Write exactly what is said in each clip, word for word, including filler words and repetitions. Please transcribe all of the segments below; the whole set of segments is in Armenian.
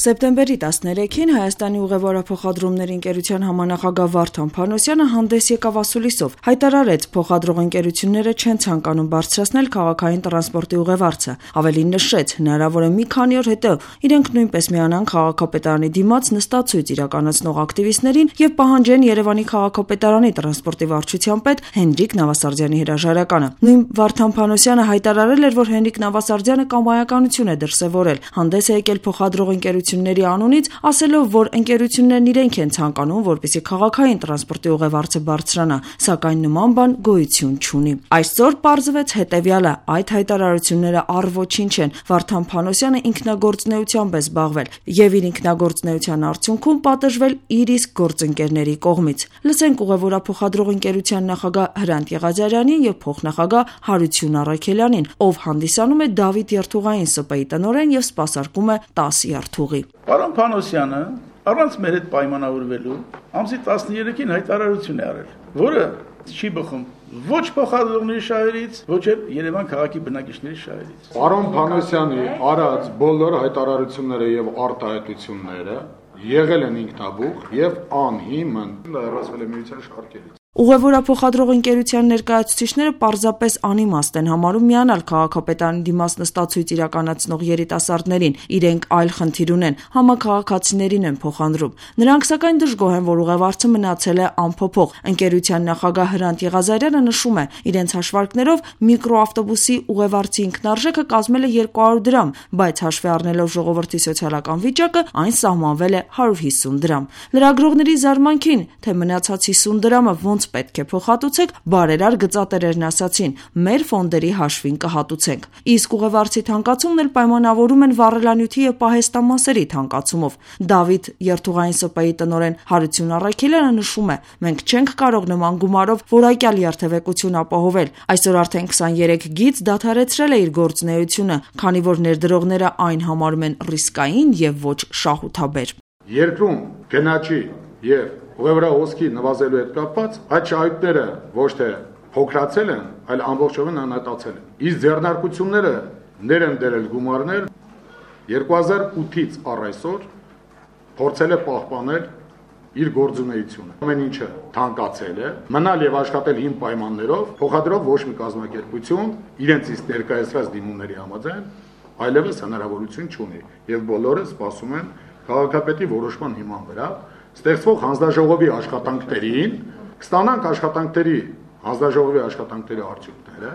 Սեպտեմբերի տասներեքին Հայաստանի ուղևորափոխադրումների ընկերության համանախագահ Վարդան Փանոսյանը հանդես եկավ ասուլիսով, հայտարարեց փոխադրող ընկերությունները չեն ցանկանում բարձրացնել քաղաքային տրանսպորտի ուղևարցը, ավելին նշեց, հնարավոր է մի քանի օր հետո իրենք նույնպես միանան քաղաքապետարանի դիմաց նստածույց իրականացնող ակտիվիստներին եւ պահանջեն Երևանի քաղաքապետարանի տրանսպորտի վարչության պետ Հենրիկ Նավասարդյանի հրաժարականը։ Նույն Վարդան Փանոսյանը հայտարարել էր, որ Հենրիկ Նավասարդյանը կամայականություն է դրսևորել, հանդես է եկել փոխադրող ընկերությունների անունից, ասելով, որ ընկերություններն իրենք են ցանկանում, որպեսզի քաղաքային տրանսպորտի ուղևարցը բարձրանա, սակայն նման բան գոյություն չունի։ Այսօր պարզվեց հետևյալը, այդ հայտարարությունները առ ոչինչ են, Վարդան Փանոսյանը ինքնագործունեությամբ է զբաղվել եւ իր ինքնագործունեության արդյունքում պատժվել իր իսկ գործընկերների կողմից։ Լսենք ուղևորափոխադրող ընկերության նախագահ Հրանտ Եղազարյանին եւ փոխնախագահ Հարություն Առաքելյանին, ով հանդիսանում է Դավիթ Երթուղային ՍՊ-ի տնօրեն եւ սպասարկում է տասը երթուղի։ Պարոն Փանոսյանը առանց մեր հետ պայմանավորվելու ամսի տասներեքին հայտարարություն է արել, որը չի բխում ոչ փոխադրողների շահերից, ոչ էլ Երևան քաղաքի բնակիչների շահերից։ Պարոն Փանոսյանի արած բոլոր հայտարարությունները եւ արտահայտությունները եղել են ինքնաբուխ եւ անհիմն, լրացվել է միության շարքերից։ Ուղևորափոխադրող ընկերության ներկայացուցիչները պարզապես անիմաստ են համարում միանալ քաղաքապետարանի դիմաց նստածույց իրականացնող երիտասարդներին, իրենք այլ խնդիր ունեն, համաքաղաքացիներին են փոխադրում։ Նրանք սակայն դժգոհ են, որ ուղևարցը մնացել է անփոփոխ։ Ընկերության նախագահ Հրանտ Եղազարյանը նշում է, իրենց հաշվարկներով միկրոավտոբուսի ուղևարցի ինքնարժեքը կազմել է երկու հարյուր դրամ, բայց հաշվի առնելով ժողովրդի սոցիալական վիճակը, այն սահմանվել է հարյուր հիսուն դրամ։ Լրագրողների զարմանքին, թե մնացած հիսուն դրամը ոնց պետք է փոխհատուցեք, բարերար գծատերերն ասացին, մեր ֆոնդերի հաշվին կհատուցենք։ Իսկ ուղևարցի թանկացումն էլ պայմանավորում են վառելանյութի եւ պահեստամասերի թանկացումով։ Դավիթ Երթուղային ՍՊ-ի տնօրեն Հարություն Առաքելյանը նշում է, մենք չենք կարող նման գումարով որակյալ երթևեկություն ապահովել։ Այսօր արդեն քսաներեք գիծ դադարեցրել է իր գործունեությունը, քանի որ ներդրողները այն համարում են ռիսկային եւ ոչ շահութաբեր։ Երկրում գնաճի եւ ուղևորահոսքի նվազելու հետ կապված այդ շահույթները ոչ թե փոքրացել են, այլ ամբողջովին անհետացել են։ Իսկ ձեռնարկությունները ներ են դրել գումարներ երկու հազար ութից առ այսօր փորձել է պահպանել իր գործունեությունը։ Ամեն ինչը թանկացել է, մնալ եւ աշխատել հիմ պայմաններով, փոխադրող ոչ մի կազմակերպություն իրենց իսկ ներկայացրած դիմումների համաձայն այլևս հնարավորություն չունի եւ բոլորը սպասում են քաղաքապետի որոշման հիման վրա ստեղծվող հանձնաժողովի աշխատանքներին, կստանանք աշխատանքների, հանձնաժողովի աշխատանքների արդյունքները,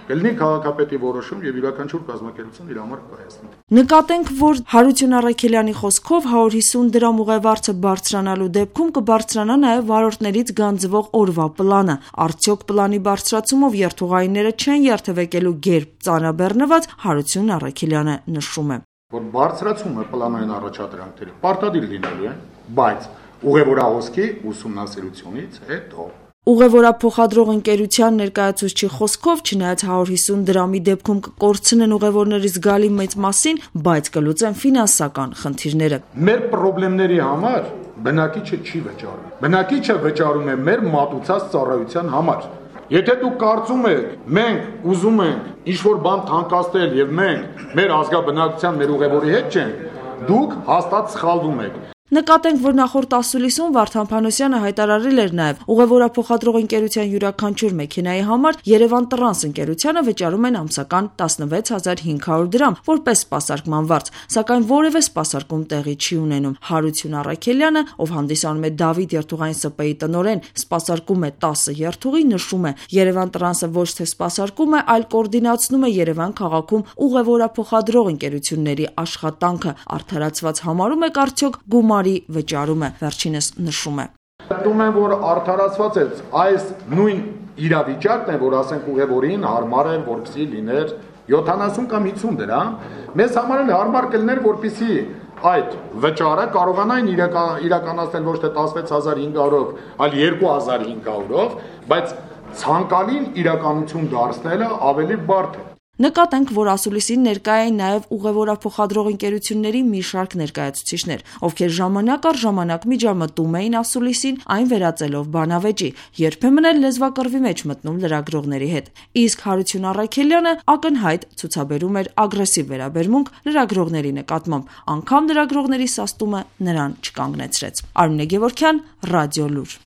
կլինի քաղաքապետի որոշում եւ յուրաքանչյուր կազմակերպություն իր համար կայացնի։ Նկատենք, որ Հարություն Առաքելյանի խոսքով հարյուր հիսուն դրամ ուղևարցը բարձրանալու դեպքում կբարձրանա նաեւ վարորդներից գանձվող օրվա պլանը։ Արդյոք պլանի բարձրացումով երթուղայինները չեն երթևեկելու գերբ ծանրաբեռնված, Հարություն Առաքելյանը նշում է, որ բարձրացումը պլանային առաջադրանքների պարտադիր լինելու է, բայց ուղևորահոսքի ուսումնասիրությունից հետո։ Ուղևորափոխադրող ընկերության ներկայացուցչի խոսքով, չնայած հարյուր հիսուն դրամի դեպքում կկորցնեն ուղևորների զգալի մեծ մասին, բայց կլուծեն ֆինանսական խնդիրները։ Մեր խնդիրների համար բնակիչը չի վճարում։ Բնակիչը վճարում է մեր մատուցած ծառայության համար։ Եթե դուք կարծում եք, մենք ուզում ենք ինչ-որ բան թանկացնել եւ մենք մեր ազգաբնակության, մեր ուղևորի հետ չենք, դուք հաստատ սխալվում եք։ Նկատենք, որ նախորդ ասուլիսում Վարդան Փանոսյանը հայտարարել էր նաև ուղևորափոխադրող ընկերության յուրաքանչյուր մեքենայի համար Երևան Տրանս ընկերությանը վճարում են ամսական տասնվեց հազար հինգ հարյուր դրամ, որպես սպասարկման վարձ, սակայն որևէ սպասարկում տեղի չի ունենում։ Հարություն Առաքելյանը, ով հանդիսանում է Դավիթ Երթուղային ՍՊ-ի տնօրեն, սպասարկում է տասը երթուղի, նշում է, Երևան Տրանսը ոչ թե սպասարկում է, այլ կոորդինացնում է Երևան քաղաքում ուղևորափոխադրող ընկերությունների աշխատանքը, արդարացված համարում է արդյոք գումար վճարումը, վերջինս նշում է։ Դնում են, որ արդարացված է այս նույն իրավիճակն է, որ ասենք ուղևորին հարմար է, որպեսզի լիներ յոթանասուն կամ հիսուն դրամ, մեզ համար էլ հարմար կլիներ, որպեսզի այդ վճարը կարողանային իրականացնել ոչ թե տասնվեց հազար հինգ հարյուրով, այլ երկու հազար հինգ հարյուրով, բայց ցանկալին իրականություն դարձնելը ավելի բարդ է։ Նկատենք, որ ասուլիսին ներկա էին նաև ուղևորափոխադրող ընկերությունների մի շարք ներկայացուցիչներ, ովքեր ժամանակ առ ժամանակ միջամտում էին ասուլիսին, այն վերածելով բանավեճի, երբեմն էլ լեզվակռվի մեջ մտնում լրագրողների հետ։ Իսկ Հարություն Առաքելյանը ակնհայտ ցուցաբերում էր ագրեսիվ վերաբերմունք լրագրողների նկատմամբ, անգամ լրագրողների սաստումը նրան չկանգնեցրեց։ Արմինե Գևորգյան, Ռադիոլուր։